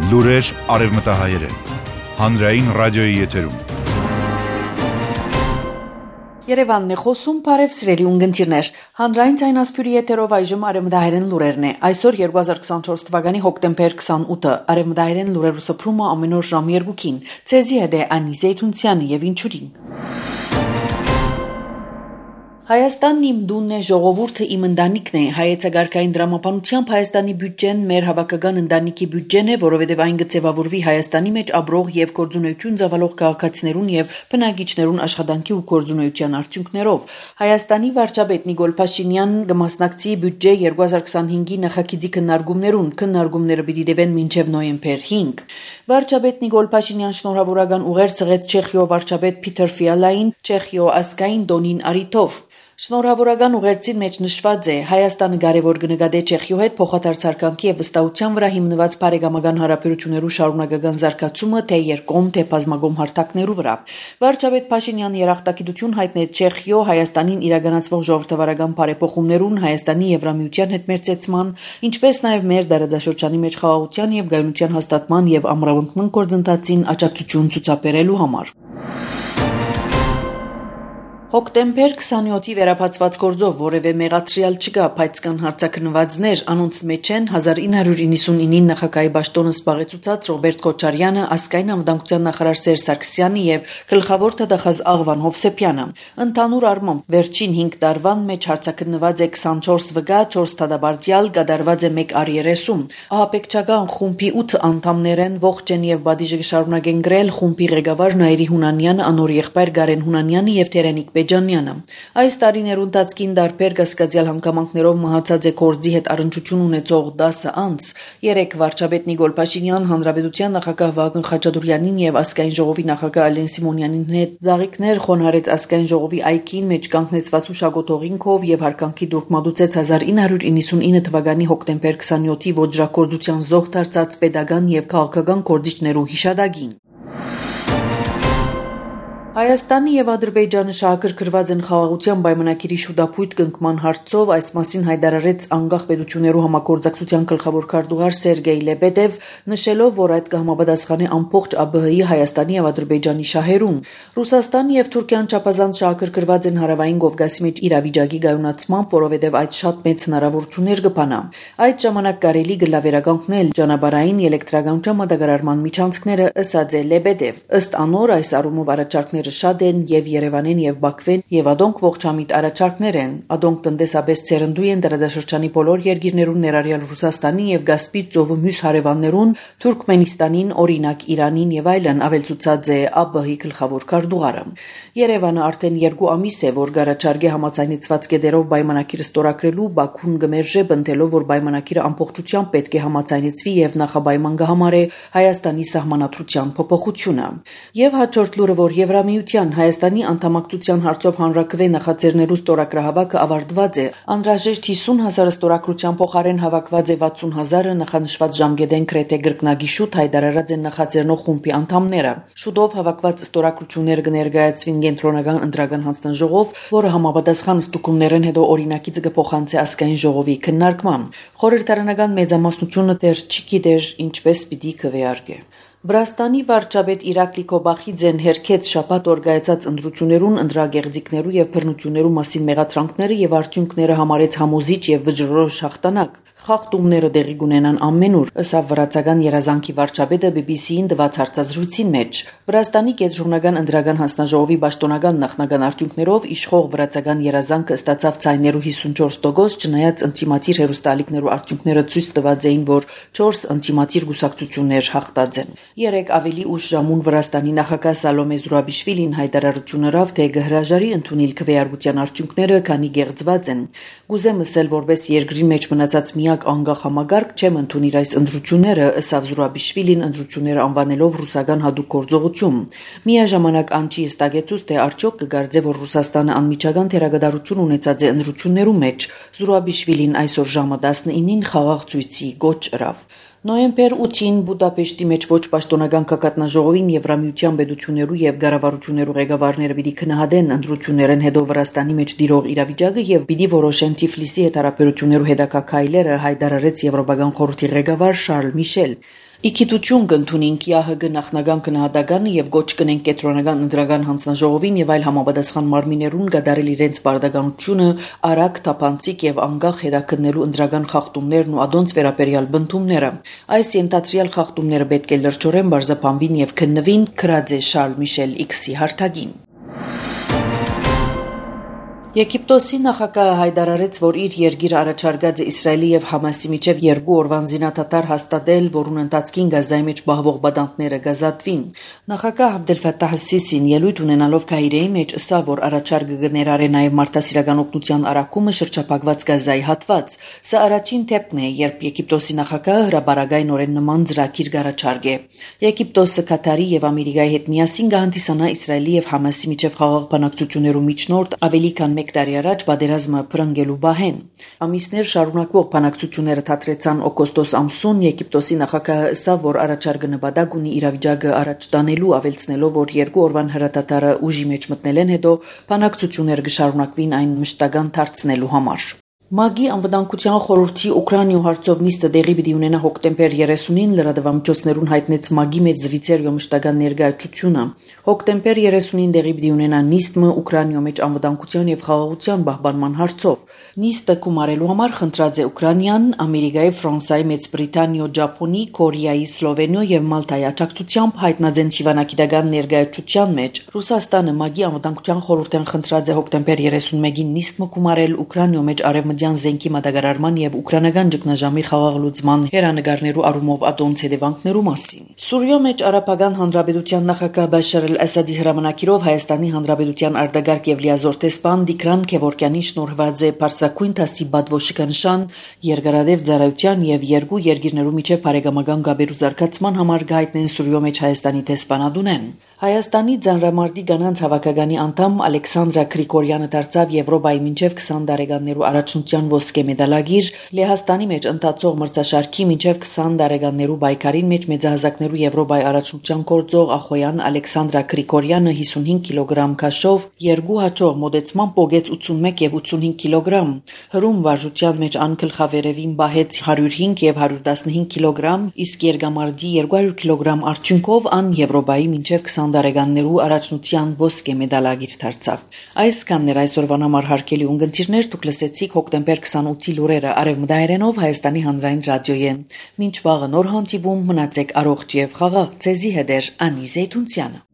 Լուրեր արևմտահայերեն, հանրային ռադիոյի եթերում։ Երևանն է խոսում, բարև սիրելի ունգընտիրներ, հանրային ցայնասփյուրի եթերով այժմ արևմտահայերեն լուրերն է, այսօր 2024 թվականի հոկտեմբեր 28-ը, արևմտահայերեն լուրերու սփռումը ամեն օր ժամ 2-ին, ցեզի հետ է Անի Զեյթունցյանը եւ ինչուրին։ Հայաստանն իմ դունն է, ժողովուրդը իմ ընտանիքն է, հայեցակարգային դրամապանությամբ Հայաստանի բյուջեն մեր հավաքական ընտանիքի բյուջեն է, որովհետև այն կձևավորվի Հայաստանի մեջ ապրող եւ գործունեություն ծավալող քաղաքացիներուն եւ բնակիչներուն աշխատանքի ու գործունեության արդյունքներով։ Հայաստանի վարչապետ Նիկոլ Փաշինյան կմասնակցի բյուջե 2025-ի նախագծի քննարկումները պիտի տևեն մինչեւ նոյեմբեր 5։ Վարչապետ Նիկոլ Փաշինյան շնորհավորական ուղեր ցղեց Չեխիո վարչապետ Փիթեր Ֆիալային Չեխիո ասկային դոնին արիթով։ Շնորհավորական ուղերձին մեջ նշված է Հայաստանը կարևոր կնկատի Չեխիո հետ փոխադարձարկանքի եւ վստահության վրա հիմնված բարեկամական հարաբերություններու շարունակական զարգացումը թե երկկողմ թե բազմակողմ հարթակներու վրա։ Վարչապետ Փաշինյանը երախտագիտություն հայտնեց Չեխիո Հայաստանին իրականացվող ժողովրդավարական բարեփոխումներուն, Հայաստանի Եվրամիության հետ մերձեցման, ինչպես նաեւ մեր դարաձաշրջանի մեջ խաղաղության եւ գայունության հաստատման եւ ամրապնդման գործընթացին աջակցություն ցուցաբերելու համար։ Հոկտեմբեր 27-ի վերապացված գործով որևէ մեղադրյալ չկա, բայց կան հարցաքննվածներ, անոնց մեջ են 1999 նախագահի պաշտոնը զբաղեցուցած Ռոբերտ Քոչարյանը, ասկային անվտանգության նախարար Սերժ Սարգսյանը եւ գլխավոր տվյալահաշ Աղվան Հովսեփյանը։ Ընդհանուր առմամբ վերջին 5 տարվան մեջ հարցաքննված է 24 վկա, 4 դատաբարտյալ, կատարված է 1 առերեսում։ Ահաբեկչական խումբի 8 անդամներ են, ողջ են եւ բադիժը կշարունակեն գրել խումբի ղեկավար Նայիրի Հունանյանը, անոր եղբայր Գարեն Հունանյանը եւ Տերենիկ Բեջանյանը։ Այս տարիներու ընթացքին դարբեր կասկածյալ հանգամանքներով մահացած է կորձի հետ առնչություն ունեցող 10 անձ։ 3 վարչապետ Նիկոլ Փաշինյան, հանրապետության նախագահ Վահագն Խաչատուրյանին եւ ազգային ժողովի նախագահ Ալեն Սիմոնյանին հետ զաղիքներ խոնարհեց ազգային ժողովի այգին մեջ կանգնեցված ուշագոտողինքով եւ հարկանքի դուրք մատուցեց 1999 թվականի հոկտեմբեր 27-ի ոճրագործության զոհ դարձած պետական եւ քաղաքական գործիչներու հիշադակին։ Հայաստանի եւ Ադրբեջանը շահագրգռված են խաղաղության պայմանագիրի շուտապույտ կնքման հարցով, այս մասին հայտարարեց անկախ պետություններու համագործակցության գլխավոր քարտուղար Սերգեյ Լեբեդև, նշելով, որ այդ կհամապատասխանի ամբողջ ԱԲՀ-ի Հայաստանի եւ Ադրբեջանի շահերուն։ Ռուսաստանը եւ Թուրքիան չափազանց շահագրգռված են հարավային Կովկասի մեջ իրավիճակի գայունացմամբ, որովհետեւ այդ շատ մեծ հնարավորություններ կբանա։ Այդ ժամանակ կարելի գլավերականգնել ճանապարհային էլեկտրականության մատակարարման միջանցքները, ըսած է Լեբեդև։ Ըստ անոր այս առումով առաջարկները շատ են եւ Երևանին եւ Բաքվեն եւ ադոնք ողջամիտ առաջարկներ են, ադոնք տնտեսապես ցերնդու են դարաձաշրջանի բոլոր երկիրներուն ներառյալ Ռուսաստանի եւ Կասպից ծովու մյուս հարևաններուն, Թուրքմենստանին, օրինակ Իրանին եւ այլն, ավելցուցած է ԱԲՀ-ի գլխավոր քարտուղարը։ Երևանը արդեն 2 ամիս է, որ գարաչարգե համաձայնեցված կետերով պայմանագիրը ստորագրելու, Բաքուն գմերժե բնդելով, որ պայմանագիրը ամբողջությամբ պետք է համաձայնեցվի եւ նախապայման կհամարե Հայաստանի սահմանադրության փոփոխությունը։ Եվ հաջորդ լուրը, որ Եվրամիության Հայաստանի անդամակցության հարցով հանրակրվե նախաձեռնելու ստորագրահավաքը ավարտված է, անհրաժեշտ 50,000 ստորագրության փոխարեն հավաքված է 60,000-ը, նախանշված ժամկետեն գրեթե գրկնագիշուտ հայտարարած են նախաձեռնող խումբի անդամները։ Շուտով հավաքված ստորագրությունները կներկայացվին կենտրոնական ընտրական հանձնաժողով, որը համապատասխան ստուգումներն հետո օրինակիցը կփոխանցի ազգային ժողովի քննարկման։ Խորհրդարանական մեծամասնությունը դեռ չգիտեր ինչպես պիտի քվեարկե։ Վրաստանի վարչապետ Իրակլի Քոբախիձեն հերքեց շաբաթ օրգայացած ընտրություններուն ընտրագեղձիկներու եւ բռնություններու մասին մեղադրանքները եւ արդյունքները համարեց համոզիչ եւ վճռորոշ հաղթանակ։ Խախտումները դեղի կունենան ամենուր, ըստ վրացական երազանքի վարչապետը BBC-ին տված հարցազրույցին մեջ։ Վրաստանի կենտրոնական ընտրական հանձնաժողովի պաշտոնական նախնական արդյունքներով իշխող վրացական երազանքը ստացավ ցայներու 54%, չնայած ընտիմատիր հերոստալիկներու արդյունքները ցույց տված էին, որ 4 ընտիմատիր գուսակցություններ հաղթած են։ 3 ավելի ուշ ժամուն Վրաստանի նախագահ Սալոմե Զուրաբիշվիլին հայտարարություններով թե կհրաժարի ընդունել քվեարկության արդյունքները, քանի գեղձված են։ Գուզեմ ասել, որպես երկրի մեջ մնացած միակ անկախ համագարկ չեմ ընդունիր այս ընտրությունները, ըստ Զուրաբիշվիլին ընտրությունները անվանելով ռուսական հատուկ գործողություն։ Միաժամանակ անչի ստագեցուց թե արդյոք կգարձե, որ Ռուսաստանը անմիջական թերագդարություն ունեցած է ընտրություններու մեջ։ Զուրաբիշվիլին այսօր ժամը 19-ին խաղաղ ցույցի գոչ ըրավ։ Նոյեմբեր 8-ին Բուդապեշտի մեջ ոչ պաշտոնական կակատնաժողովին Եվրամիության պետություններու եւ ղարավարություններու ղեկավարները պիտի քննադեն ընտրություններն հետո Վրաստանի մեջ դիրող իրավիճակը եւ պիտի որոշեն Թիֆլիսի հետ հարաբերություններու հետագա քայլերը, հայտարարեց Եվրոպական խորհրդի ղեկավար Շարլ Միշել։ Իքիտություն կընդունենք ՀՀԳ նախնական քննադատականը եւ գոչ կնենք կենտրոնական ընդրական հանձնաժողովին եւ այլ համապատասխան մարմիններուն գդարել իրենց բարդականությունը արագ, թափանցիկ եւ անգախ հետաքննելու ընդրական խախտումներն ու ադոնց վերաբերյալ բնդումները։ Այս ենթադրյալ խախտումները պետք է լրջորեն բարձրապանվին եւ քննվին, քրած է Շարլ Միշել X-ի հարթագին։ Եգիպտոսի նախագահը հայտարարեց, որ իր երկիրը առաջարկած է Իսրայելի եւ Համասի միջև 2 օրվան զինադադար հաստատել, որուն ընթացքին Գազայի մեջ բահվող բադանտները գազատվին։ Նախագահ Աբդել Ֆաթահ Սիսին ելույթ ունենալով Կահիրեի մեջ ասա, որ առաջարկը կներառի նաեւ մարդասիրական օգնության արակումը շրջափակված Գազայի հատված։ Սա առաջին դեպքն է, երբ Եգիպտոսի նախագահը հրաբարագայնորեն նման ծրագիր կառաջարկե։ Եգիպտոսը Կատարի եւ Ամերիկայի հետ միասին կհանդիսանա Իսրայելի եւ Համասի միջև խաղաղ բանակցություններու միջնորդ ավելի քան 1 տարի առաջ բادرազմը փրկելու բահեն։ Ամիսներ շարունակվող բանակցությունները թատրեցան օգոստոս ամսուն Եգիպտոսի նախագահը ասա, որ առաջարկը նպատակ ունի իրավիճակը առաջ տանելու, ավելցնելով, որ 2 օրվան հրադադարը ուժի մեջ մտնելեն հետո բանակցությունները կշարունակվին այն մշտական դարձնելու համար։ ՄԱԳ-ի անվտանգության խորհրդի Ուկրաինայու հարցով նիստը տեղի պիտի ունենա հոկտեմբեր 30-ին լրատվամիջոցներուն հայտնեց ՄԱԳ-ի մեջ զվիցերիո մշտական ներկայացությունը։ Հոկտեմբեր 30-ին տեղի պիտի ունենա նիստը Ուկրաինայու մեջ անվտանգության եւ խաղաղության պահպանման հարցով։ Նիստը կումարելու համար խնդրած է Ուկրաինան, Ամերիկայի, Ֆրանսիայի, Մեծ Բրիտանիա, Ճապոնի, Կորեայի, Սլովենիա եւ Մալտայի աջակցությամբ հայտնած հիվանդագիտական ներկայացության մեջ։ Ռուսաստանը ՄԱԳ-ի անվտանգության խորհրդին խնդրած է հոկտեմբեր 31-ին նիստը կումարել Ուկրաինայու մեջ զենքի մատակարարման եւ ուկրաինական ճգնաժամի խաղաղ լուծման հերանեկարներու առումով ադոնց հետևանքներու մասին։ Սուրիո մեջ Արաբական Հանրապետության նախագահ Բաշար al-Ասադի հրամանակիրով Հայաստանի Հանրապետության արտագաղթ եւ լիազոր տեսփան Տիգրան Քևորքյանի շնորհված է Պարսակույն դասի բադվոշիկանշան երկարադեպ ծառայության եւ երկու երկիրներու միջև բարեկամական գաբերու զարգացման համար գայտնեն Սուրիո մեջ Հայաստանի տեսփանադունեն։ Հայաստանի Ձանրամարտի կանանց հավաքականի անդամ Ալեքսանդրա Գրիգորյանը դարձավ Եվրոպայի մինչև 20 տարեկաններու առաջնության ոսկե մեդալագիր, Լեհաստանի մեջ ընթացող մրցաշարքի մինչև 20 տարեկաններու բայկարին մեջ մեծահասակներու Եվրոպայի առաջնության գործող Ախոյան Ալեքսանդրա Գրիգորյանը 55 կիլոգրամ քաշով երկու հաջող մոդեցման պոգեց 81 եւ 85 կիլոգրամ։ Հրում վարժության մեջ անկլխավերևին բահեց 105 եւ 115 կիլոգրամ, իսկ երկամարտի 200 կիլոգրամ արդյունքով ան Եվրոպայի մինչև 20 տարեկաններու առաջնության ոսկե մեդալագիր դարձավ։ Այսքաններ այսօրվան համար հարգելի ունգընտիրներ, դուք լսեցիք հոկտեմբեր 28-ի լուրերը արևմտահայերենով Հայաստանի հանրային ռադիոյեն։ Մինչ վաղը նոր հանդիպում, մնացեք առողջ եւ խաղաղ, ցեզի հետ Անի Զեյթունցյանը։